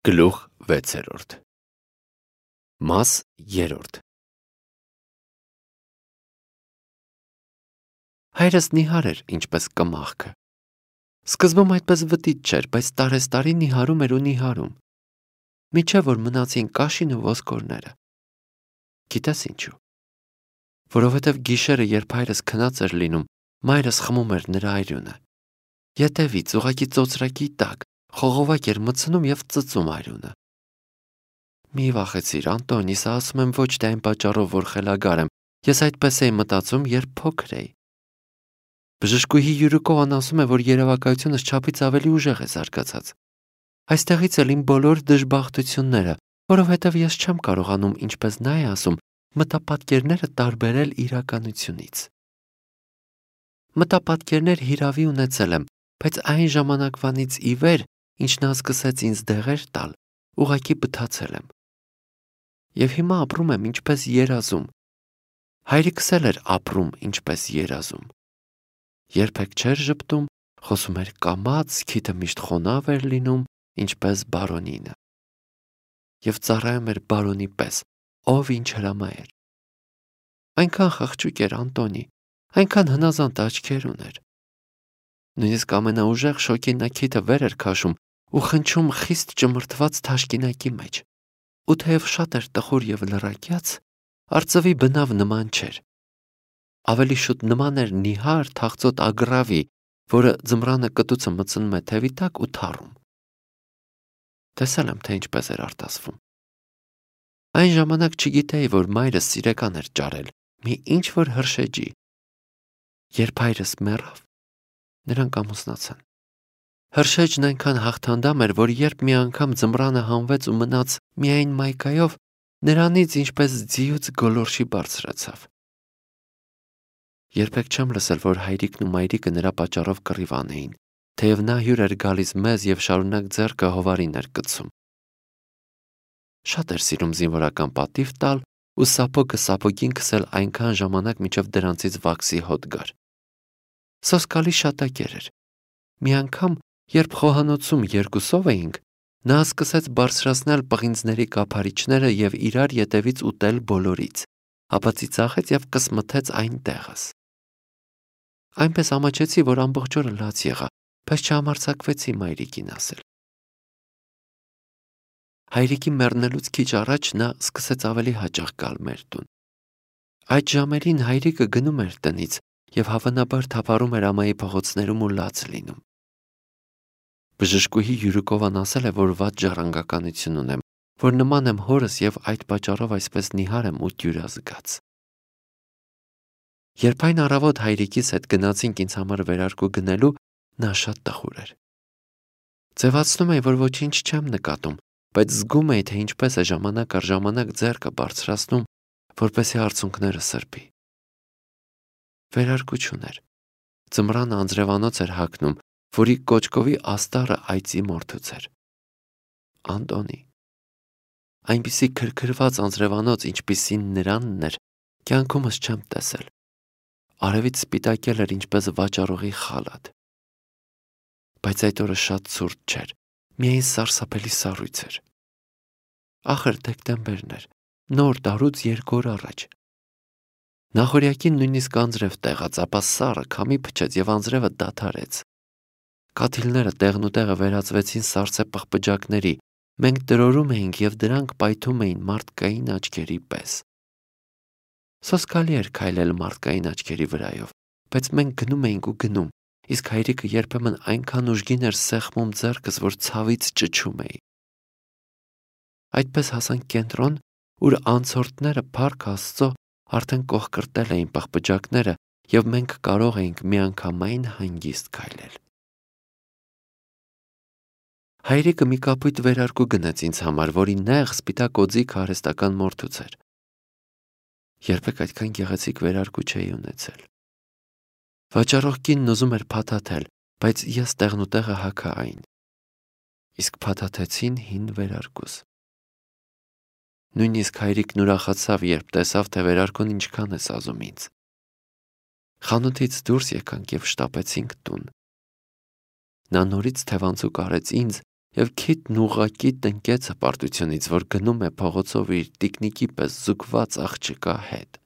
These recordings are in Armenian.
Գլուխ 6 Մաս 3 Հայրս նիհար էր, ինչպես կմախքը։ Սկզբում այդպես վտիտ չէր, բայց տարեստարի նիհարում էր ու նիհարում, մինչև որ մնացին կաշին ու ոսկորները։ Գիտես ինչու։ Որովհետև գիշերը, երբ հայրս քնած էր լինում, մայրս խմում էր նրա այրունը։ Ետևից ուղղակի ծոծրակի տակ խողովակ էր մտցնում և ծծում այրունը։ Մի վախեցիր, Անտոնի, սա ասում եմ ոչ թե այն պատճառով, որ խելագար եմ, ես այդպես էի մտածում, երբ փոքր էի։ Բժշկուհի Յուրիկովան ասում է, որ երևակայությունս չափից ավելի ուժեղ է զարգացած։ Այստեղից էլ իմ բոլոր դժբախտությունները, որովհետև ես չեմ կարողանում, ինչպես նա է ասում, մտապատկերները տարբերել իրականությունից։ Մտապատկերներ հիրավի ունեցել եմ, բայց այն ժամանակվանից ի վեր, ինչ նա սկսեց ինձ դեղեր տալ, ուղղակի բթացել եմ։ Եվ հիմա ապրում եմ ինչպես երազում։ Հայրիկս էլ էր ապրում ինչպես երազում։ Երբեք չէր ժպտում, խոսում էր կամաց, քիթը միշտ խոնավ էր լինում, ինչպես բարոնինը։ Եվ ծառայում էր բարոնի պես, ով ինչ հրամայեր։ Այնքան խղճուկ էր Անտոնի, այնքան հնազանդ աչքեր ուներ։ Նույնիսկ ամենաուժեղ շոկին նա քիթը վեր էր քաշում ու խնչում խիստ ճմրթված թաշկինակի մեջ։ Ու թեև շատ էր տխուր և լռակյաց, արծվի բնավ նման չէր։ Ավելի շուտ նման էր նիհար թախծոտ ագռավի, որը ձմռանը կտուցը մտցնում է թևի տակ ու թառում։ Տեսել եմ, թե ինչպես էր արտասվում։ Այն ժամանակ չգիտեի, որ մայրս սիրեկան էր ճարել մի ինչ-որ հրշեջի։ Երբ հայրս մեռավ, նրանք ամուսնացան։ Հրշեջն այնքան հաղթանդամ էր, որ երբ մի անգամ ձմռանը հանվեց ու մնաց միայն մայկայով, նրանից ինչպես ձիուց գոլորշի բարձրացավ։ Երբեք չեմ լսել, որ հայրիկն ու մայրիկը նրա պատճառով կռիվ անեին, թեև նա հյուր էր գալիս մեզ և շարունակ ձեռքը հովարին էր կցում։ Շատ էր սիրում զինվորական պատիվ տալ ու սապոգը սապոգին քսել այնքան ժամանակ, մինչև դրանցից վաքսի հոտ գար։ Սոսկալի շատակեր էր։ Մի անգամ, երբ խոհանոցում երկուսով էինք, նա սկսեց բարձրացնել պղինձների կափարիչները և իրար ետևից ուտել բոլորից, ապա ծիծաղեց և կսմթեց այն տեղս։ Այնպես ամաչեցի, որ ամբողջ օրը լաց եղա, բայց չհամարձակվեցի մայրիկին ասել։ Հայրիկի մեռնելուց քիչ առաջ նա սկսեց ավելի հաճախ գալ մեր տուն։ Այդ ժամերին հայրիկը գնում էր տնից և հավանաբար թափառում էր ամայի փողոցներում ու լաց լինում։ Բժշկուհի Յուրիկովան ասել է, որ վատ ժառանգականություն ունեմ, որ նման եմ հորս և այդ պատճառով այսպես նիհար եմ ու դյուրազգաց։ Երբ այն առավոտ հայրիկիս հետ գնացինք ինձ համար վերարկու գնելու, նա շատ տխուր էր։ Ձևացնում էի, որ ոչինչ չեմ նկատում, բայց զգում էի, թե ինչպես է ժամանակ առ ժամանակ ձեռքը բարձրացնում, որպեսզի արցունքները սրբի։ Վերարկու չուներ։ Ձմռանը անձրևանոց էր հագնում, որի կոճկովի աստառը այծի մորթուց էր։ Անտոնի։ Այնպիսի քրքրված անձրևանոց, ինչպիսին նրանն էր, կյանքումս չեմ տեսել։ Արևից սպիտակել էր ինչպես վաճառողի խալաթ։ Բայց այդ օրը շատ ցուրտ չէր, միայն սարսափելի սառույց էր։ Ախր դեկտեմբերն էր, նոր տարուց 2 օր առաջ։ Նախօրյակին նույնիսկ անձրև տեղաց, ապա սառը քամի փչեց և անձրևը դադարեց։ Կաթիլները տեղնուտեղը վերածվեցին սառցե պղպջակների, մենք տրորում էինք և դրանք պայթում էին մարդկային աչքերի պես։ Սոսկալի էր քայլել մարդկային աչքերի վրայով, բայց մենք գնում էինք ու գնում, իսկ հայրիկը երբեմն այնքան ուժգին էր սեղմում ձեռքս, որ ցավից ճչում էի։ Այդպես հասանք կենտրոն, ուր անցորդները փառք Աստծո արդեն կողկրտել էին պղպջակները և մենք կարող էինք միանգամայն հանգիստ քայլել։ Հայրիկը մի կապույտ վերարկու գնեց ինձ համար, որի նեղ սպիտակ օձիքը արհեստական մորթուց էր։ Երբեք այդքան գեղեցիկ վերարկու չէի ունեցել։ Վաճառող կինն ուզում էր փաթաթել, բայց ես տեղնուտեղը հագա այն։ Իսկ փաթաթեցին հին վերարկուս։ Նույնիսկ հայրիկն ուրախացավ, երբ տեսավ, թե վերարկուն ինչքան է սազում ինձ։ Խանութից դուրս եկանք և շտապեցինք տուն։ Նա նորից թևանցուկ արեց ինձ եւ քիթն ուղղակի տնկեց հպարտությունից, որ գնում է փողոցով իր տիկնիկի պես զուգված աղջկա հետ։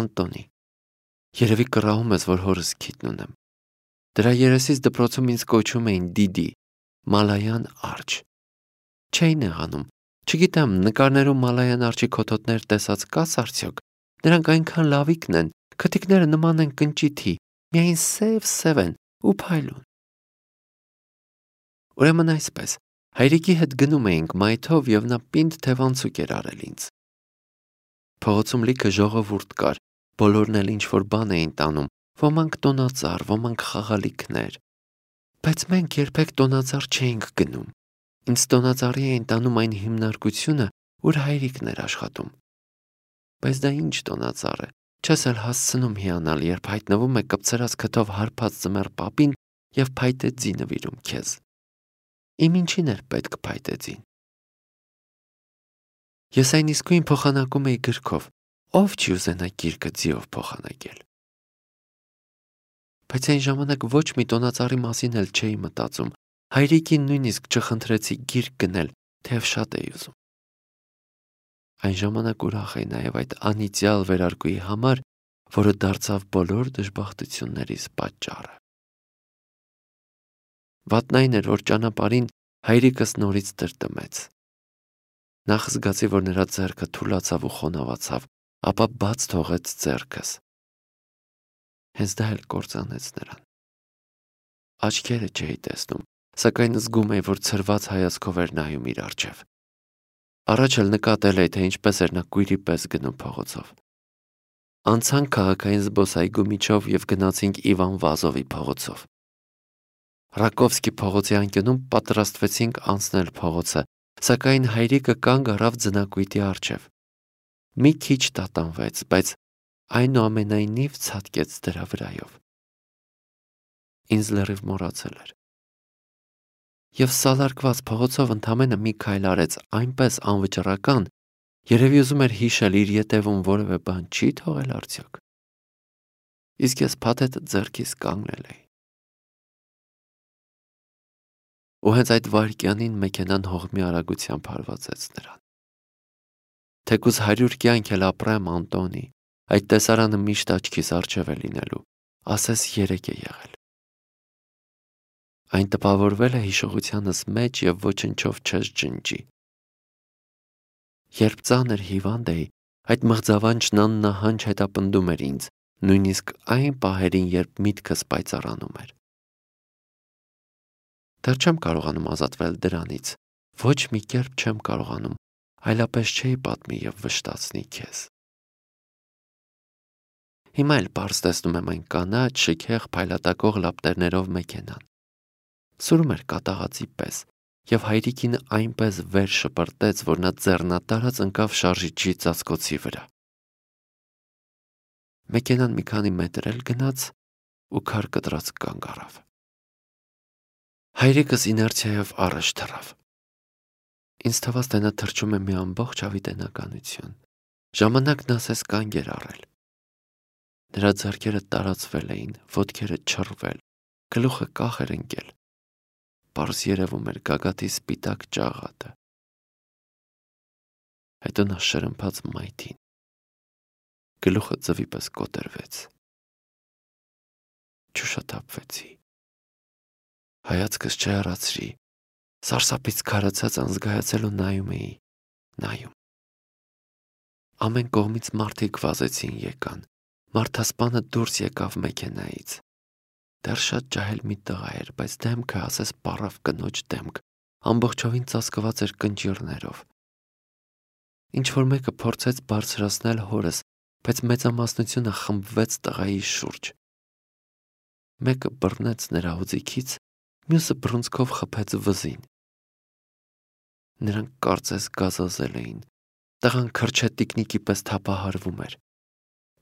Անտոնի, երևի կռահում ես, որ հորս քիթն ունեմ։ Դրա երեսից դպրոցում ինձ կոչում էին Դիդի, Մալայան արջը։ Չէի նեղանում։ Չգիտեմ, նկարներում Մալայան արջի քոթոտներ տեսած կաս արդյոք։ Նրանք այնքան լավիկն են, քթիկները նման են կնճիթի, միայն սև են ու փայլուն։ Ուրեմն այսպես, հայրիկի հետ գնում էինք մայթով եւ նա պինդ թևանցուկ էր արել ինձ։ Փողոցում լիքը ժողովուրդ կար, բոլորն էլ ինչ-որ բան էին տանում, ոմանք տոնածառ, ոմանք խաղալիքներ։ Բայց մենք երբեք տոնածառ չէինք գնում։ Ինձ տոնածառի էին տանում այն հիմնարկությունը, ուր հայրիկն էր աշխատում։ Բայց դա ինչ տոնածառ է, չես էլ հասցնում հիանալ, երբ հայտնվում է կպցրած քթով հարբած ձմեռ պապին եւ փայտե ձի նվիրում քեզ։ Իմ ինչին էր պետք փայտե ձին։ Ես այն իսկույն փոխանակում էի գրքով, ով չի ուզենա գիրկը ձիով փոխանակել։ Բայց այն ժամանակ ոչ մի տոնածառի մասին էլ չէի մտածում, հայրիկին նույնիսկ չխնդրեցի գիրք գնել, թեև շատ էի ուզում։ Այն ժամանակ ուրախ էի նաև այդ անիծյալ վերարկուի համար, որը դարձավ բոլոր դժբախտություններիս պատճառը։ Վատն այն էր, որ ճանապարհին հայրիկս նորից տրտմեց։ Նախ զգացի, որ նրա ձեռքը թուլացավ ու խոնավացավ, ապա բաց թողեց ձեռքս։ Հենց դա էլ կործանեց նրան։ Աչքերը չէի տեսնում, սակայն զգում էի, որ ցրված հայացքով էր նայում իր առջև։ Առաջ էլ նկատել էի, թե ինչպես էր նա կույրի պես գնում փողոցով։ Անցանք քաղաքային զբոսայգու միջով եւ գնացինք Իվան Վազովի փողոցով։ Ռակովսկի փողոցի անկյունում պատրաստվեցինք անցնել փողոցը, սակայն հայրիկը կանգ առավ ձնակույտի առջև։ Մի քիչ տատանվեց, բայց այնուամենայնիվ ցատկեց դրա վրայով։ Ինձ լրիվ մոռացել էր։ Եվ սալարկված փողոցով ընդամենը մի քայլ արեց այնպես անվճռական, երևի ուզում էր հիշել իր ետևում որևէ բան չի թողել արդյոք։ Իսկ ես փաթեթը ձեռքիս կանգնել էի։ Ու հենց այդ վայրկյանին մեքենան հողմի արագությամբ հարվածեց նրան։ Թեկուզ 100 կյանք էլ ապրեմ, Անտոնի, այդ տեսարանը միշտ աչքիս առջև է լինելու, ասես 3 է եղել։ Այն տպավորվել է հիշողությանս մեջ եւ ոչնչով չես ջնջի։ Երբ ծանր հիվանդ էի, այդ մղձավանջն աննահանջ հետապնդում էր ինձ, նույնիսկ այն պահերին, երբ միտքս պայծառանում էր։ Դեռ չեմ կարողանում ազատվել դրանից, ոչ մի կերպ չեմ կարողանում, այլապես չէի պատմի եւ վշտացնի քեզ։ Հիմա էլ պարզ տեսնում եմ այն կանաչ, շքեղ, փայլատակող լապտերներով մեքենան։ Սուրում էր կատաղածի պես, եւ հայրիկին այնպես վեր շպրտեց, որ նա ձեռնատարած ընկավ շարժիչի ծածկոցի վրա։ Մեքենան մի քանի մետր էլ գնաց ու քար կտրած կանգ առավ։ Հայրիկս իներցիայով առաջ թռավ։ Ինձ թվաց, թե նա թռչում է մի ամբողջ հավիտենականություն։ Ժամանակն ասես կանգ էր առել։ Նրա ձեռքերը տարածվել էին, ոտքերը չռվել, գլուխը կախ էր ընկել։ Պարզ երևում էր գագաթի սպիտակ ճաղատը։ Հետո նա շրմփաց մայթին։ Գլուխը ձվի պես կոտրվեց։ Չուշաթափվեցի։ Հայացքս չհեռացրի, սարսափից քարացած անզգայացել ու նայում էի, նայում։ Ամեն կողմից մարդիկ վազեցին եկան, մարդասպանը դուրս եկավ մեքենայից։ Դեռ շատ ջահել մի տղա էր, բայց դեմքը ասես պառավ կնոջ դեմք, ամբողջովին ծածկված էր կնճիռներով։ Ինչ-որ մեկը փորձեց բարձրացնել հորս, բայց մեծամասնությունը խմբվեց տղայի շուրջ։ Մեկը բռնեց նրա հուձիքից, մյուսը բռունցքով խփեց վզին։ Նրանք կարծես գազազել էին։ Տղան քրչե տիկնիկի պես թափահարվում էր։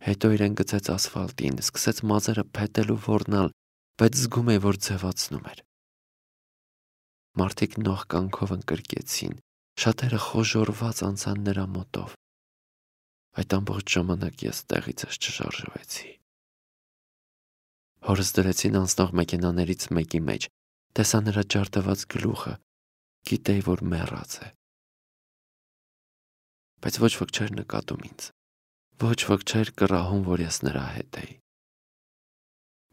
Հետո իրեն գցեց ասֆալտին, սկսեց մազերը փետել ու ոռնալ, բայց զգում էի, որ ձևացնում էր։ Մարդիկ նող կանքով ընկրկեցին, շատերը խոժոռված անցան նրա մոտով։ Այդ ամբողջ ժամանակ ես տեղիցս չշարժվեցի։ Հորս դրեցին անցնող մեքենաներից մեկի մեջ, տեսա նրա ջարդված գլուխը, գիտեի, որ մեռած է։ Բայց ոչ ոք չէր նկատում ինձ, ոչ ոք չէր կռահում, որ ես նրա հետ էի։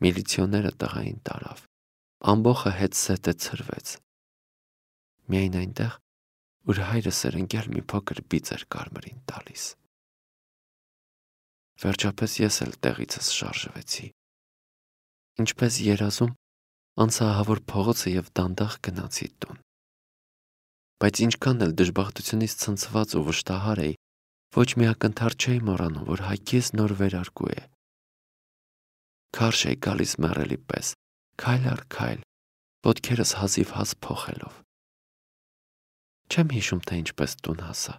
Միլիցիոները տղային տարավ, ամբոխը հետզհետե ցրվեց։ Միայն այնտեղ, ուր հայրս էր ընկել, մի փոքր բիծ էր կարմրին տալիս։ Վերջապես ես էլ տեղիցս շարժվեցի։ Ինչպես երազում, անցա ահավոր փողոցը եւ դանդաղ գնացի տուն։ Բայց ինչքան էլ դժբախտությունից ցնցված ու վշտահար էի, ոչ մի ակնթար չէի մոռանում, որ հայքիս նոր վերարկու է։ Քարշ էի գալիս մեռելի պես, քայլ առ քայլ, ոտքերս հազիվ հազ փոխելով։ Չեմ հիշում, թե ինչպես տուն հասա,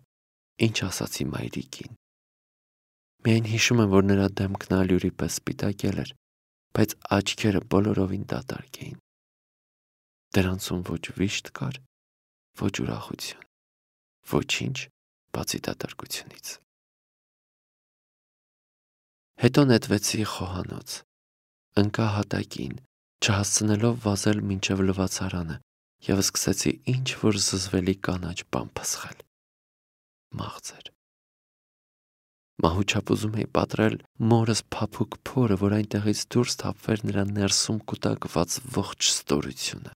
ինչ ասացի մայրիկին։ Միայն հիշում եմ, որ նրա դեմքն ալյուրի պես սպիտակել էր, բայց աչքերը բոլորովին դատարկ էին։ Դրանցում ոչ վիշտ կար, ոչ ուրախություն, ոչինչ բացի դատարկությունից։ Հետո նետվեցի խոհանոց, ընկա հատակին, չհասցնելով վազել մինչև լվացարանը և սկսեցի ինչ-որ զզվելի կանաչ բան փսխել։ Մաղձ էր։ Մահուչապ ուզում էի պատռել մորս փափուկ փորը, որ այնտեղից դուրս թափվեր նրա ներսում կուտակված ողջ ստորությունը։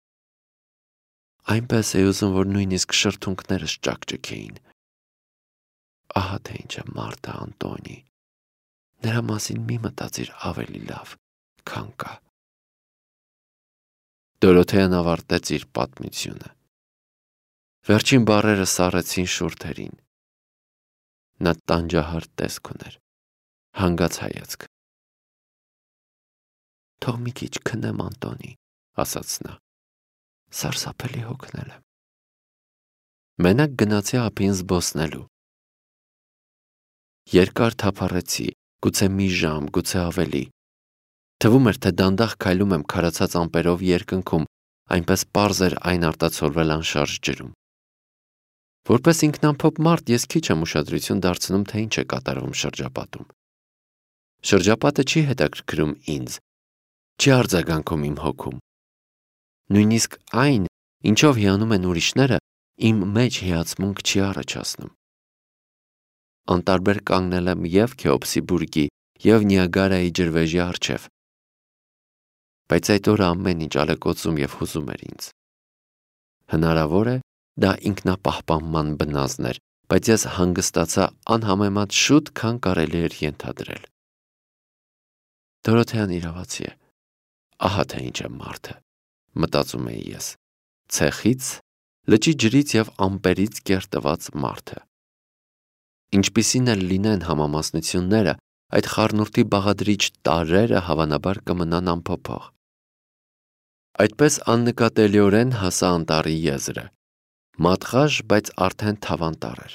Այնպես էի ուզում, որ նույնիսկ շրթունքներս ճակճկեին։ Ահա թե ինչ է Մարտա Անտոնի։ Նրա մասին մի մտածիր ավելի լավ, քան կա։ Դորոթեան ավարտեց իր պատմությունը։ Վերջին բառերը սառեցին շուրթերին։ Նա տանջահար տեսք ուներ, հանգած հայացք։ Թող մի քիչ քնեմ, Անտոնի, ասաց նա։ Սարսափելի հոգնել եմ։ Մենակ գնացի ափին զբոսնելու։ Երկար թափառեցի, գուցե մի ժամ, գուցե ավելի։ Թվում էր, թե դանդաղ քայլում եմ քարացած ամպերով երկնքում, այնպես պարզ էր այն արտացոլվել անշարժ ջրում։ Որպես ինքնամփոփ մարդ ես քիչ եմ ուշադրություն դարձնում, թե ինչ է կատարվում շրջապատում։ Շրջապատը չի հետաքրքրում ինձ, չի արձագանքում իմ հոգում։ Նույնիսկ այն, ինչով հիանում են ուրիշները, իմ մեջ հիացմունք չի առաջացնում։ Անտարբեր կանգնել եմ և Քեոպսի բուրգի, և Նիագարայի ջրվեժի առջև։ Բայց այդ օրը ամեն ինչ ալեկոծում և հուզում էր ինձ։ Հնարավոր է, դա ինքնապահպանման բնազն էր, բայց ես հանգստացա անհամեմատ շուտ, քան կարելի էր ենթադրել։ Դորոթեան իրավացի է։ Ահա թե ինչ է մարդը, մտածում էի ես, ցեխից, լճի ջրից և ամպերից կերտված մարդը։ Ինչպիսին էլ լինեն համամասնությունները, այդ խառնուրդի բաղադրիչ տարրերը հավանաբար կմնան անփոփոխ։ Այդպես աննկատելիորեն հասա անտառի եզրը։ Մատղաշ, բայց արդեն թավանտառ էր։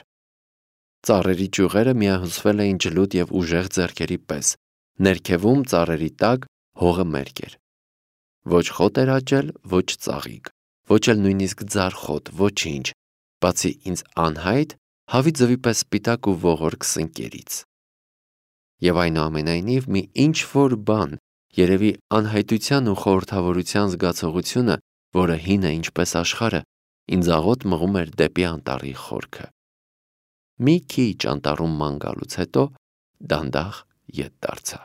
Ծառերի ճյուղերը միահյուսվել էին ջլուտ և ուժեղ ձեռքերի պես, ներքևում ծառերի տակ հողը մերկ էր։ Ոչ խոտ էր աճել, ոչ ծաղիկ, ոչ էլ նույնիսկ ձարխոտ, ոչինչ, բացի ինձ անհայտ, հավի ձվի պես սպիտակ ու ողորկ սնկերից։ Եվ այնուամենայնիվ մի ինչ-որ բան, երևի անհայտության ու խորհրդավորության զգացողությունը, որը հին է ինչպես աշխարհը, ինձ աղոտ մղում էր դեպի անտառի խորքը։ Մի քիչ անտառում ման գալուց հետո դանդաղ ետ դարձա։